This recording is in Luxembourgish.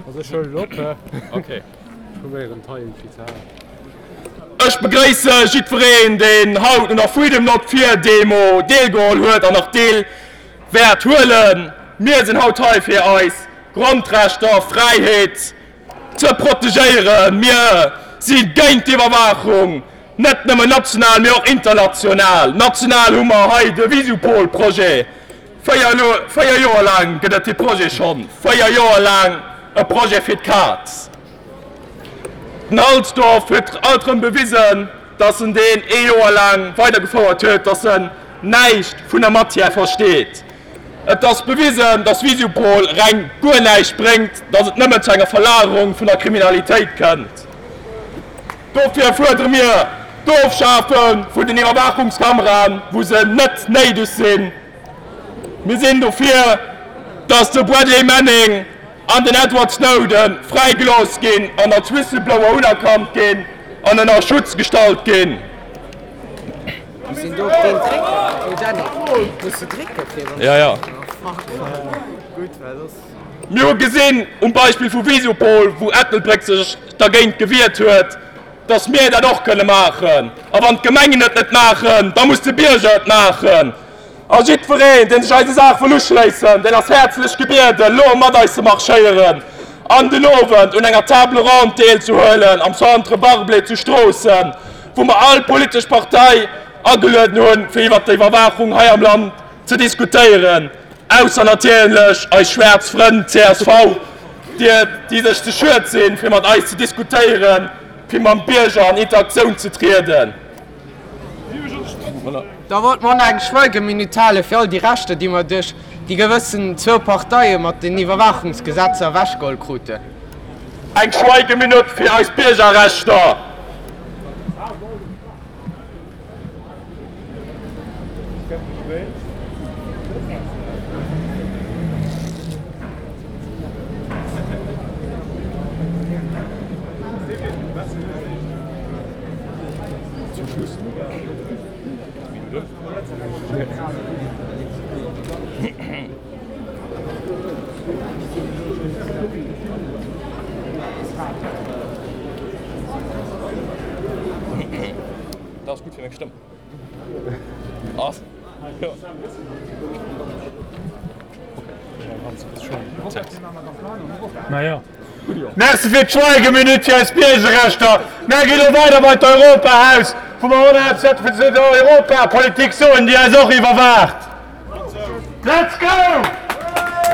Also ech huelen op. Ok. Ech probéieren d'Hei irgendwie ze halen. Ech begréisse jiddwereen, deen haut un der Freedom Not Fear Demo deelgeholl huet an nach deel wäert huelen. Mir sinn haut hei fir eis Grondrechter, Fräiheet ze protegéieren. Mir si géint d'Iwwerwaachung, net nëmmen national, mee och international. National hu mer hei de Visupol-Projet. 4 Joer laang gëtt et dee Projet schonn. 4 Joer laang e Projet fir d'Kaz. Den Halsdorf huet alt erëm bewisen, datt en deen ee Joer laang weidergefouert huet, datt en näischt vun der Matière versteet. Et ass bewisen, datt Visupol reng guer näischt bréngt, datt et nëmmen zu enger Verlagerung vun der Kriminalitéit kënnt. Dofir fuerdere mir d'Ofschafe vun den Iwwerwaachungskameraen, wou se net néideg sinn. Mir sinn dofir, datt de Bradley Manning an den Edward Snowden fräigelooss ginn an als Whistleblower unerkannt ginn an ënner Schutz gestallt ginn. Mir hu gesinn um Beispill vu Visupol, wou Ettelbréck sech dergéint gewiert huet, dass mir dat och kënne maachen. A wann d'Gemengen et net maachen, da muss de Bierger et maachen. A jiddwereen, dee sech eiser Saach wëll uschléissen, deen ass häerzlech gebieden, elo mat eis ze marschéieren an den Owend un enger Table ronde deelzehuelen am Centre Barblé zu Stroossen, wou mer all politesch Partei agelueden hunn, fir iwwert d'Iwwerwaachung hei am Land ze diskutéieren, ausser natierlech eis schwaarz Frënn csv, déi sech ze schued sinn, fir mat eis ze diskutéieren, fir mam Bierger an Interaktioun ze trieden. Da wollt mer och nach eng Schweigeminut hale fir all déi Rechter, déi mer duerch déi gewëssen zwou Parteie mat den Iwwerwaachungsgesetzer ewechgeholl kruten. Eng Schweigeminut fir eis Biergerrechter! Dat ass gutt fir meng Stëmm. Ass. Merci fir d'Schweigeminut fir eis Biergerrechter. Mär gi lo weider bei d'Europahaus, wou mer och nach eppes zu der Europapolitik soen, déi eis och iwwerwaacht. Let's go!